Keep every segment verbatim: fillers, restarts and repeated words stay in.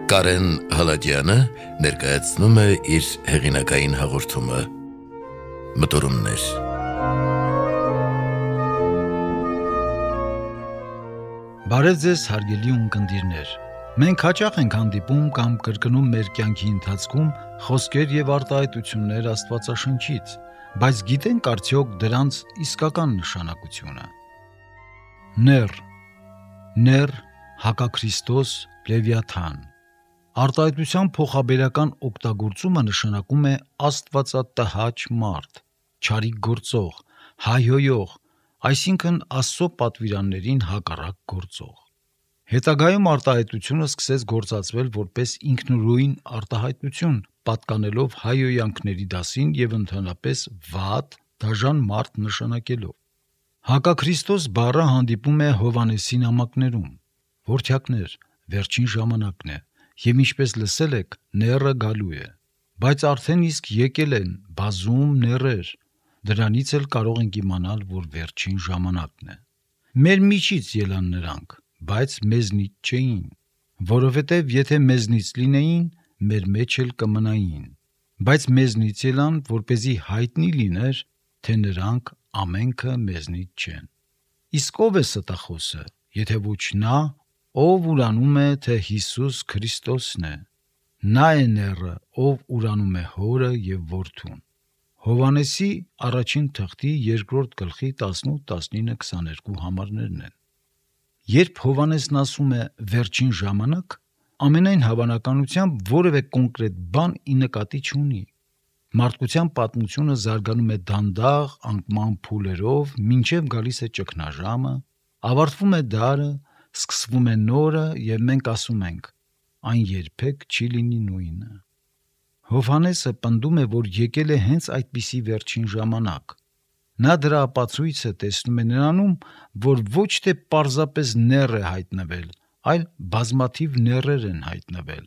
Կարեն Հալաջյանը ներկայացնում է իր հեղինակային հաղորդումը Մտորումներ։ Բարև ձեզ հարգելի ունկնդիրներ։ Մենք հաճախ ենք հանդիպում կամ կրկնում մեր կյանքի ընթացքում խոսքեր եւ արտահայտություններ Աստվածաշնչից, բայց գիտենք արդյոք դրանց իսկական նշանակությունը։ Ներ, ներ, հակաքրիստոս, Լևիաթան։ Արտահայտության փոխաբերական օգտագործումը նշանակում է աստվածատհաճ մարդ, չարիք գործող, հայհոյող, այսինքն Աստծո պատվիրաններին հակառակ գործող։ Հետագայում արտահայտությունը սկսեց գործածվել որպես ինքնուրույն արտահայտություն, պատկանելով հայհոյանքների դասին եւ ընդհանրապես վատ, դաժան մարդ նշանակելով։ Հակաքրիստոս բառը հանդիպում է Հովհաննեսի նամակներում։ Որդյակներ, վերջին ժամանակն է, եւ ինչպես լսել եք, նեռը գալու է, բայց արդեն իսկ եկել են բազում նեռեր, դրանից էլ կարող ենք իմանալ, որ վերջին ժամանակն է։ Մեր միջից ելան նրանք, բայց մեզնից չէին, որովհետև եթե մեզնից լինեին, մեր մեջ էլ կմնային, բայց մեզնից ելան, որպեսզի հայտնի լիներ, թե նրանք ամենքը մեզնից չեն։ Իսկ ով է ստախոսը, եթե ոչ նա, ով ուրանում է, թե Հիսուս Քրիստոսն է, նա է նեռը, ով ուրանում է Հորը եւ Որդուն։ Հովհաննեսի առաջին թղթի երկրորդ գլխի տասնութ, տասնինը, քսաներկու համարներն են։ Երբ Հովհաննեսն ասում է վերջին ժամանակ, ամենայն հավանականությամբ որևէ կոնկրետ բան ի նկատի չունի։ Մարդկության պատմությունը զարգանում է դանդաղ անկման փուլերով, մինչև գալիս է ճգնաժամը, ավարտվում է դարը, սկսվում է նորը եւ մենք ասում ենք. այն երբեք չի լինի նույնը։ Հովհաննեսը պնդում է, որ եկել է հենց այդպիսի վերջին ժամանակ։ Նա դրա ապացույցը տեսնում է նրանում, որ ոչ թե պարզապես նեռ է հայտնվել, այլ բազմաթիվ նեռեր են հայտնվել։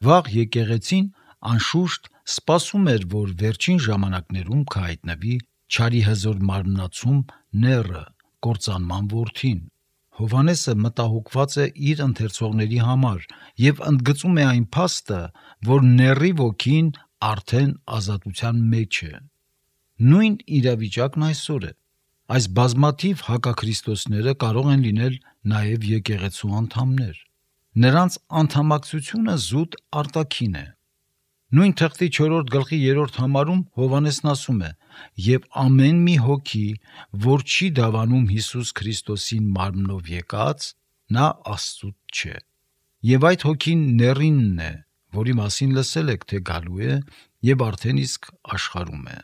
Վաղ եկեղեցին անշուշտ սպասում էր, որ վերջին ժամանակներում կհայտնվի չարի հզոր մարմնացում նեռը, կործանման որդին։ Հովհաննեսը մտահոգված է իր ընթերցողների համար եւ ընդգծում է այն փաստը, որ նեռի ոգին արդեն ազատության մեջ է։ Նույն իրավիճակն այսօր է։ Այս բազմաթիվ հակաքրիստոսները կարող են լինել նաեւ եկեղեցու անդամներ։ Նրանց անդամակցությունը զուտ արտաքին է։ Նույն թղթի չորրորդ գլխի երրորդ համարում Հովհաննեսն ասում է. «Եվ ամեն մի հոգի, որ չի դավանում Հիսուս Քրիստոսին մարմնով եկած, նա Աստծուց չէ։ Եվ այդ հոգին նեռինն է, որի մասին լսել եք, թե գալու է եւ արդեն իսկ աշխարհում է։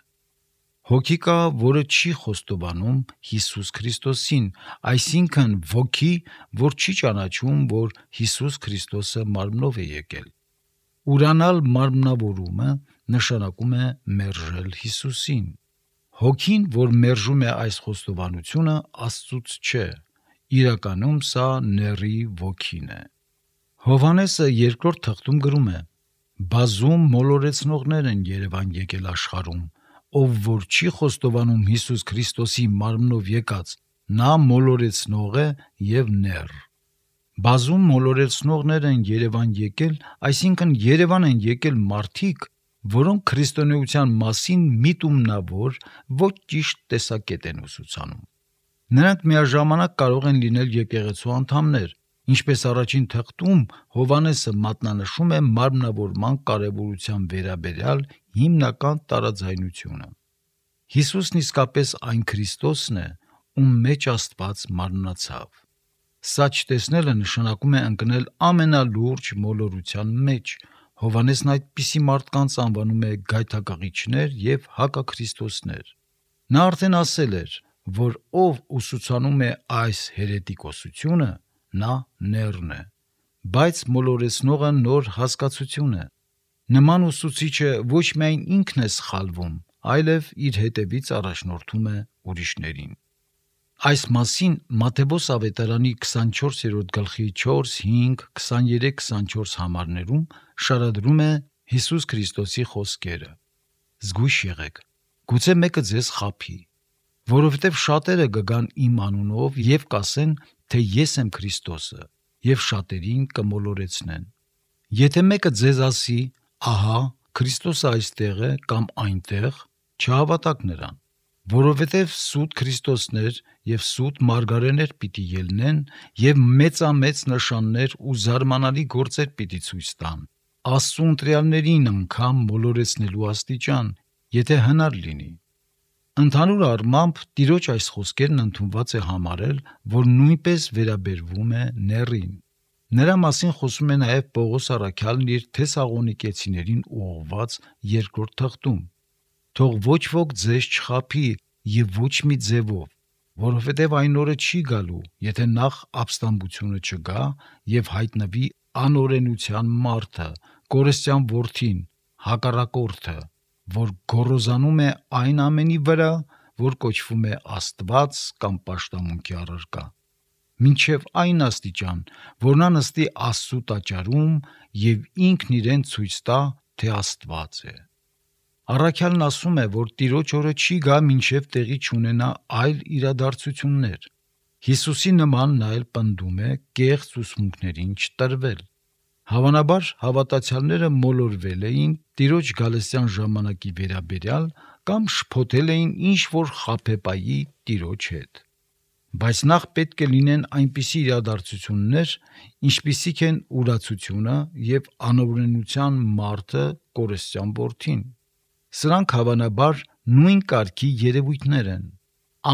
Հոգի կա, որը չի խոստովանում Հիսուս Քրիստոսին, այսինքն ոգի, որ չի ճանաչում, որ Հիսուս Քրիստոսը մարմնով է եկել։ Ուրանալ մարմնավորումը նշանակում է մերժել Հիսուսին։ Հոգին, որ մերժում է այս խոստովանությունը, Աստծուց չէ։ Իրականում սա նեռի ոգին է։ Հովհաննեսը երկրորդ թղթում գրում է. «Բազում մոլորեցնողներ են Երևան եկել աշխարհում, ով որ չի խոստովանում Հիսուս Քրիստոսի մարմնով եկած, նա մոլորեցնող է եւ նեռ»։ Բազում մոլորեցնողներ են Երևան եկել, այսինքն Երևան են եկել մարդիկ, որոնք քրիստոնեության մասին միտումնավոր, ոչ ճիշտ տեսակետ են ուսուցանում։ Նրանք միաժամանակ կարող են լինել եկեղեցու անդամներ, ինչպես առաջին թղթում Հովհաննեսը մատնանշում է մարմնավորման կարևորության վերաբերյալ հիմնական տարաձայնությունը։ Հիսուսն իսկապես այն Քրիստոսն է, ում մեջ Աստված մարմնացավ։ Սա չտեսնելը նշանակում է ընկնել ամենալուրջ մոլորության մեջ։ Հովհաննեսն այդպիսի մարդկանց անվանում է գայթակղիչներ եւ հակաքրիստոսներ։ Նա արդեն ասել էր, որ ով ուսուցանում է այս հերետիկոսությունը, նա նեռն է, բայց մոլորեցնողը նոր հասկացություն է։ Նման ուսուցիչը ոչ միայն ինքն է սխալվում, այլև իր հետևից առաջնորդում է ուրիշներին։ Այս մասին Մատթեոս ավետարանի քսանչորսերորդ գլխի չորս, հինգ, քսաներեք, քսանչորս համարներում շարադրում է Հիսուս Քրիստոսի խոսքերը. «Զգույշ եղեք, գուցե մեկը ձեզ խաբի, որովհետև շատերը կգան իմ անունով եւ կասեն, թե ես եմ Քրիստոսը, եւ շատերին կմոլորեցնեն։ Եթե մեկը ձեզ ասի, ահա, Քրիստոսը այստեղ է կամ այնտեղ, չհավատաք նրան, որովհետև սուտ Քրիստոսներ և սուտ մարգարեներ պիտի ելնեն և մեծամեծ նշաններ ու զարմանալի գործեր պիտի ցույց տան, Աստծու ընտրյալներին անգամ մոլորեցնելու աստիճան, եթե հնար լինի։ Ընդհանուր առմամբ Տիրոջ այս խոսքերն ընդունված է համարել, որ նույնպես վերաբերվում է նեռին։ Նրա մասին խոսում է նաև Պողոս առաքյալն իր Թեսաղոնիկեցիներին ուղղված երկրորդ թղթում. «Թող ոչ ոք ձեզ չխաբի և ոչ մի ձևով, որովհետև այն օրը չի գալու, եթե նախ ապստամբությունը չգա և հայտնվի անօրենության մարդը, կորստյան որդին, հակառակորդը, որ գոռոզանում է այն ամենի վրա, որ կոչվում է Աստված կամ պաշտամունքի առարկա, մինչև այն աստիճան, որ նա նստի Աստծու տաճարում և ինքն իրեն ցույց տա, թե Աստված է»։ Առաքյալն ասում է, որ Տիրոջ օրը չի գա, մինչև տեղի չունենա այլ իրադարձություններ։ Հիսուսի նման նա էլ պնդում է կեղծ ուսմունքներին չտրվել։ Հավանաբար հավատացյալները մոլորվել էին Տիրոջ գալստյան ժամանակի վերաբերյալ կամ շփոթել էին ինչ-որ խաբեբայի Տիրոջ հետ։ Բայց նախ պետք է լինեն այնպիսի իրադարձություններ, ինչպիսիք են ուրացությունը և անօրենության մարդը, կորստյան որդին։ Սրանք հավանաբար նույն կարգի երևույթներ են։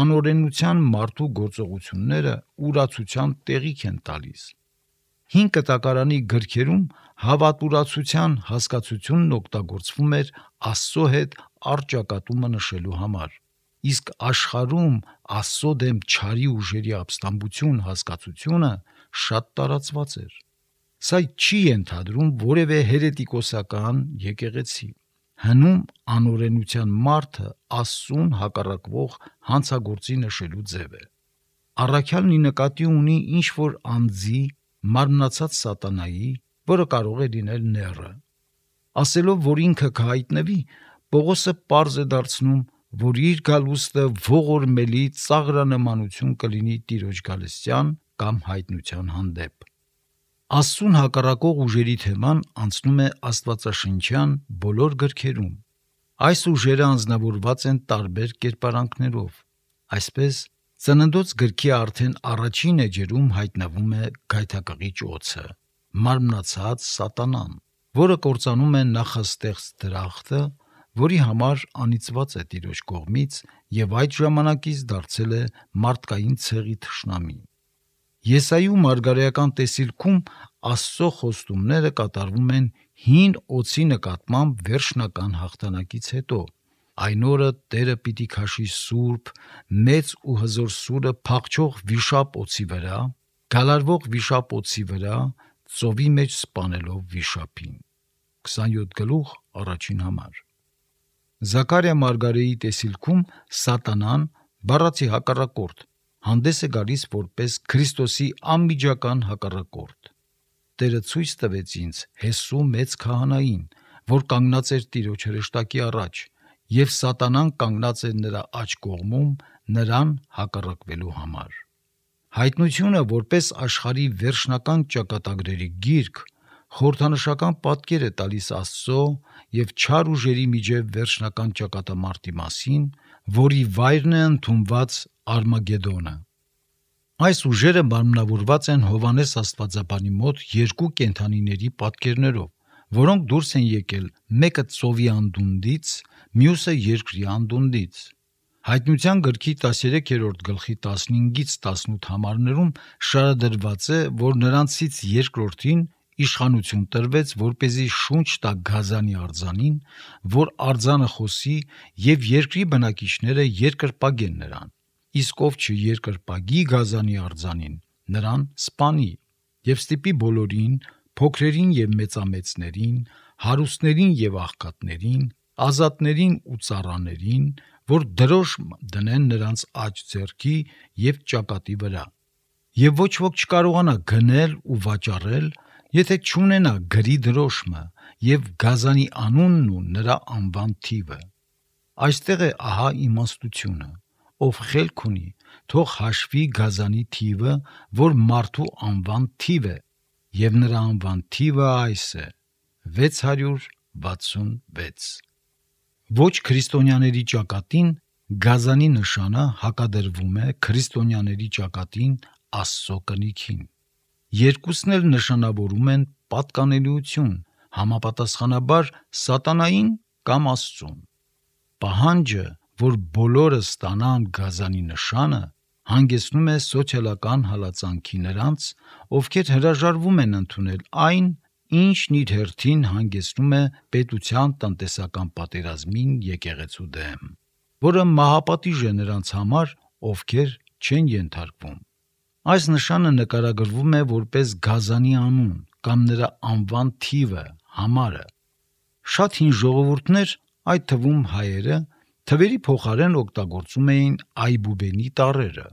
Անօրենության մարդու գործողությունները ուրացության տեղիք են տալիս։ Հին կտակարանի գրքերում հավատուրացության հասկացությունն օգտագործվում էր Աստծո հետ առճակատումը նշելու համար, իսկ աշխարհում Աստծո դեմ չարի ուժերի ապստամբություն հասկացությունը շատ տարածված էր։ Սա չի ենթադրում որևէ հերետիկոսական եկեղեցի։ Հնում անօրենության մարդը Աստծուն հակառակվող հանցագործի նշելու ձև է։ Առաքյալն ի նկատի ունի ինչ-որ անձի, մարմնացած սատանայի, որը կարող է լինել նեռը։ Ասելով, որ ինքը կհայտնվի, Պողոսը պարզ է դարձնում, որ իր գալուստը ողորմելի ծաղրանմանություն կլինի Տիրոջ գալստյան կամ հայտնության հանդեպ։ Աստծուն հակառակող ուժերի թեման անցնում է աստվածաշնչյան բոլոր գրքերում։ Այս ուժերը անձնավորված են տարբեր կերպարանքներով։ Այսպես, Ծննդոց գրքի արդեն առաջին էջերում հայտնվում է գայթակղիչ օձը, մարմնացած սատանան, որը կործանում է նախաստեղծ դրախտը, որի համար անիծված է Տիրոջ կողմից և այդ ժամանակից դարձել է մարդկային ցեղի թշնամի։ Եսայու մարգարեական տեսիլքում Աստծո խոստումները կատարվում են հին օձի նկատմամբ վերջնական հաղթանակից հետո։ Այն օրը Տերը պիտի քաշի սուրբ, մեծ ու հզոր սուրը փախչող վիշապ օձի վրա, գալարվող վիշապ օձի վրա, ծովի մեջ սպանելով վիշապին։ քսանյոթ գլուխ առաջին համար։ Զաքարիա մարգարեի տեսիլքում սատանան, բառացի հակառակորդ, հանդես է գալիս որպես Քրիստոսի անմիջական հակառակորդ։ Տերը ցույց տվեց ինձ Հեսու մեծ քահանային, որ կանգնած էր Տիրոջ հրեշտակի առաջ, և սատանան կանգնած էր նրա աջ կողմում նրան հակառակվելու համար։ Հայտնությունը որպես աշխարհի վերջնական ճակատագրերի գիրք խորհրդանշական պատկեր է տալիս Աստծո և չար ուժերի միջև վերջնական ճակատամարտի մասին, որի վայրն է ընդունված Արմագեդոնը։ Այս ուժերը մարմնավորված են Հովհաննես աստվածաբանի մոտ երկու կենդանիների պատկերներով, որոնք դուրս են եկել մեկը ծովի անդունդից, մյուսը երկրի անդունդից։ Հայտնության գրքի տասներեքերորդ գլխի տասնհինգից տասնութ համարներում շարադրված է, որ նրանցից երկրորդին իշխանություն տրվեց, որպեսզի շունչ տա գազանի արձանին, որ արձանը խոսի և երկրի բնակիչները երկրպագեն նրան, իսկ ով չերկրպագի գազանի արձանին, նրան սպանի և ստիպի բոլորին, փոքրերին և մեծամեծներին, հարուստներին և աղքատներին, ազատներին ու ծառաներին, որ դրոշմ դնեն նրանց աջ ձեռքի և ճակատի վրա, և ոչ ոք չկարողանա գնել ու վաճառել, եթե չունենա գրի դրոշմը և գազանի անունն ու նրա անվան թիվը։ Այստեղ է ահա իմաստությունը, ով խելք ունի, թող հաշվի գազանի թիվը, որ մարդու անվան թիվ է, եւ նրա անվան թիվը այս է՝ վեց հարյուր վաթսունվեց։ Ոչ քրիստոնյաների ճակատին գազանի նշանը հակադրվում է քրիստոնյաների ճակատին Աստծո կնիքին։ Երկուսն էլ նշանավորում են պատկանելիություն, համապատասխանաբար սատանային կամ Աստծուն։ Պահանջը, որ բոլորը ստանան գազանի նշանը, հանգեցնում է սոցիալական հալածանքի նրանց, ովքեր հրաժարվում են ընդունել այն, ինչն իր հերթին հանգեցնում է պետության տնտեսական պատերազմին եկեղեցու դեմ, որը մահապատիժ է նրանց համար, ովքեր չեն ենթարկվում։ Այս նշանը նկարագրվում է որպես գազանի անուն կամ նրա անվան թիվը, համարը։ Շատ հին ժողովուրդներ, այդ թվում հայերը, թվերի փոխարեն օգտագործում էին այբուբենի տառերը,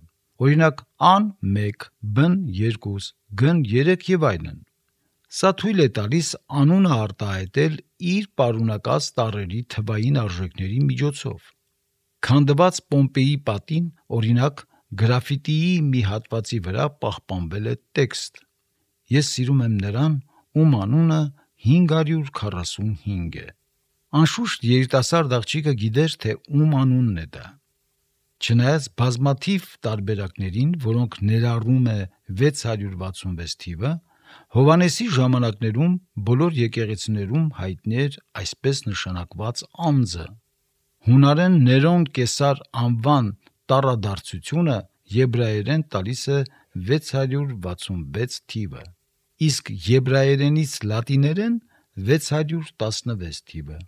օրինակ ան մեկ, բն երկու, գն երեք եւ այլն։ Սա թույլ է տալիս անունը արտահայտել իր պարունակած տառերի թվային արժեքների միջոցով։ Քանդված Պոմպեի պատին, օրինակ, գրաֆիտիի մի հատվածի վրա պահպանվել է տեքստ. «Ես սիրում եմ նրան, ում անունը հինգ հարյուր քառասունհինգ է»։ Անշուշտ երիտասարդ աղջիկը գիտեր, թե ում անունն է դա։ Չնայած բազմաթիվ տարբերակներին, որոնք ներառում է վեց հարյուր վաթսունվեց թիվը, Հովհաննեսի ժամանակներում բոլոր եկեղեցիներում հայտնի էր այսպես նշանակված անձը։ Հունարեն Ներոն Կեսար անվան տառադարձությունը եբրայերեն տալիս է վեց հարյուր վաթսունվեց թիվը, իսկ եբրայերենից լատիներեն վեց հարյուր տասնվեց թիվը,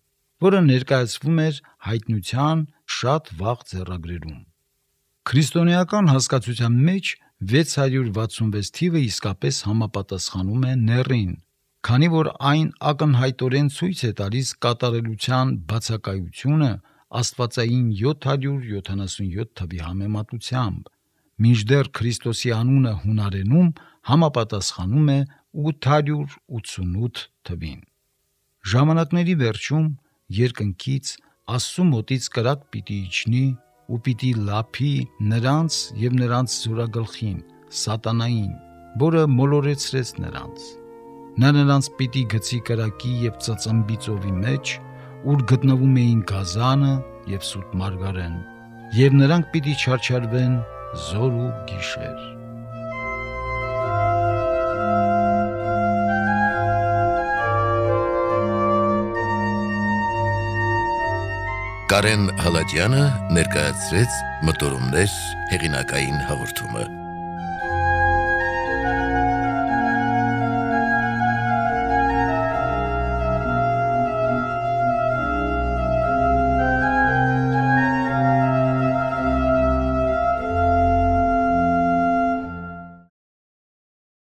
որը ներկայացվում էր հայտնության շատ վաղ ձեռագրերում։ Քրիստոնեական հասկացության մեջ վեց հարյուր վաթսունվեց թիվը իսկապես համապատասխանում է նեռին, քանի որ այն ակնհայտորեն ցույց է տալիս կատարելության բացակայությունը աստվածային յոթ հարյուր յոթանասունյոթ թվի համեմատությամբ, մինչդեռ Քրիստոսի անունը հունարենում համապատասխանում է ութ հարյուր ութսունութ թվին։ Ժամանակների վերջում երկնքից Աստծու մոտից կրակ պիտի իջնի ու պիտի լափի նրանց և նրանց զորագլխին, սատանային, որը մոլորեցրեց նրանց։ Նա նրանց պիտի գցի կրակի և ծծմբի ծովի մեջ, ուր գտնվում էին գազանը և սուտ մարգարեն, և նրանք պիտի չարչարվեն զօր ու գիշեր։ Կարեն Հալաջյանը ներկայացրեց մտորումներ հեղինակային հաղորդումը։